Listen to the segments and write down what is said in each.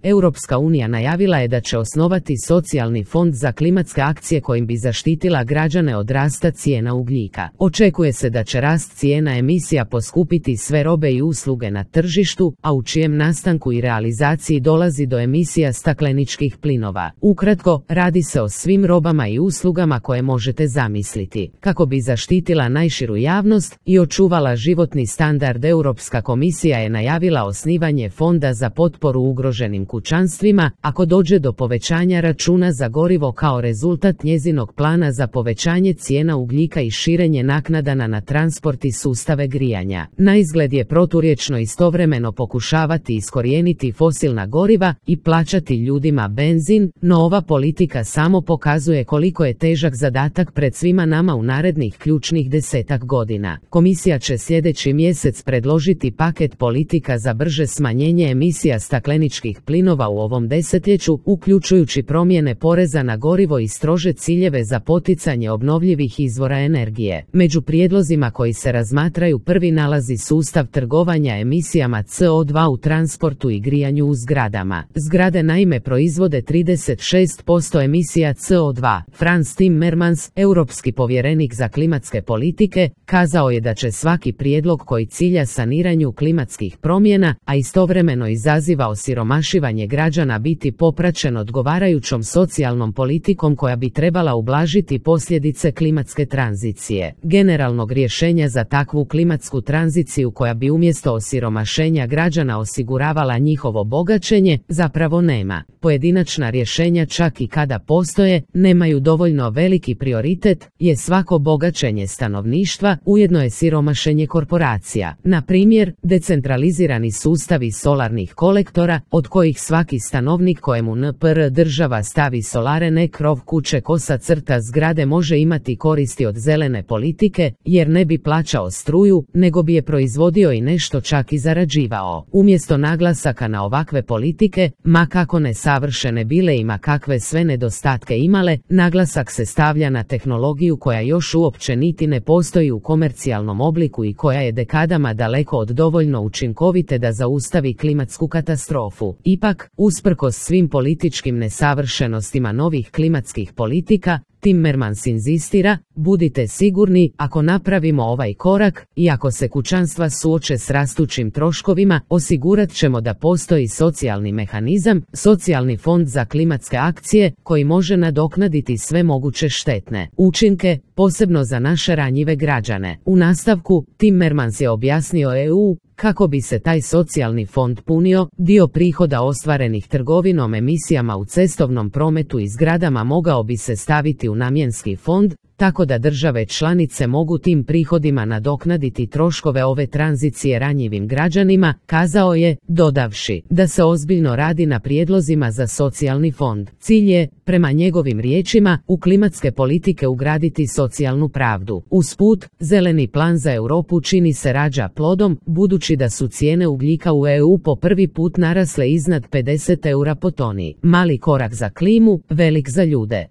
Europska unija najavila je da će osnovati socijalni fond za klimatske akcije kojim bi zaštitila građane od rasta cijena ugljika. Očekuje se da će rast cijena emisija poskupiti sve robe i usluge na tržištu, a u čijem nastanku i realizaciji dolazi do emisija stakleničkih plinova. Ukratko, radi se o svim robama i uslugama koje možete zamisliti. Kako bi zaštitila najširu javnost i očuvala životni standard, Europska komisija je najavila osnivanje fonda za potporu ugroženim kućanstvima ako dođe do povećanja računa za gorivo kao rezultat njezinog plana za povećanje cijena ugljika i širenje naknada na transport i sustave grijanja. Naizgled je proturječno istovremeno pokušavati iskorijeniti fosilna goriva i plaćati ljudima benzin, no ova politika samo pokazuje koliko je težak zadatak pred svima nama u narednih ključnih 10 godina. Komisija će sljedeći mjesec predložiti paket politika za brže smanjenje emisija stakleničkih plinova u ovom desetljeću, uključujući promjene poreza na gorivo i strože ciljeve za poticanje obnovljivih izvora energije. Među prijedlozima koji se razmatraju prvi nalazi sustav trgovanja emisijama CO2 u transportu i grijanju u zgradama. Zgrade naime proizvode 36% emisija CO2. Frans Timmermans, europski povjerenik za klimatske politike, kazao je da će svaki prijedlog koji cilja saniranju klimatskih promjena, a istovremeno izaziva osiromašivanje građana, biti popraćen odgovarajućom socijalnom politikom koja bi trebala ublažiti posljedice klimatske tranzicije. Generalnog rješenja za takvu klimatsku tranziciju koja bi umjesto osiromašenja građana osiguravala njihovo bogaćenje zapravo nema. Pojedinačna rješenja, čak i kada postoje, nemaju dovoljno veliki prioritet, je svako bogaćenje stanovništva, ujedno je siromašenje korporacija. Na primjer, decentralizirani sustavi solarnih kolektora, od kojih svaki stanovnik kojemu NPR država stavi solare na krov kuće /zgrade može imati koristi od zelene politike, jer ne bi plaćao struju, nego bi je proizvodio i nešto čak i zarađivao. Umjesto naglasaka na ovakve politike, ma kako nesavršene bile i ma kakve sve nedostatke imale, naglasak se stavlja na tehnologiju koja još uopće niti ne postoji u komercijalnom obliku i koja je dekadama daleko od dovoljno učinkovite da zaustavi klimatsku katastrofu. Ipak, usprkos svim političkim nesavršenostima novih klimatskih politika, Timmermans inzistira, budite sigurni, ako napravimo ovaj korak i ako se kućanstva suoče s rastućim troškovima, osigurat ćemo da postoji socijalni mehanizam, socijalni fond za klimatske akcije, koji može nadoknaditi sve moguće štetne učinke, posebno za naše ranjive građane. U nastavku, Timmermans je objasnio EU kako bi se taj socijalni fond punio, dio prihoda ostvarenih trgovinom emisijama u cestovnom prometu i zgradama mogao bi se staviti u namjenski fond, tako da države članice mogu tim prihodima nadoknaditi troškove ove tranzicije ranjivim građanima, kazao je, dodavši da se ozbiljno radi na prijedlozima za socijalni fond. Cilj je, prema njegovim riječima, u klimatske politike ugraditi socijalnu pravdu. Usput, zeleni plan za Europu čini se rađa plodom, budući da su cijene ugljika u EU po prvi put narasle iznad 50 eura po toni. Mali korak za klimu, velik za ljude.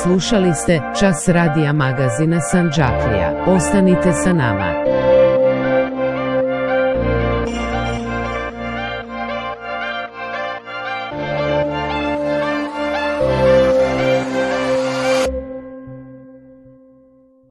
Slušali ste Čas radija magazina Sandžaklija. Ostanite sa nama.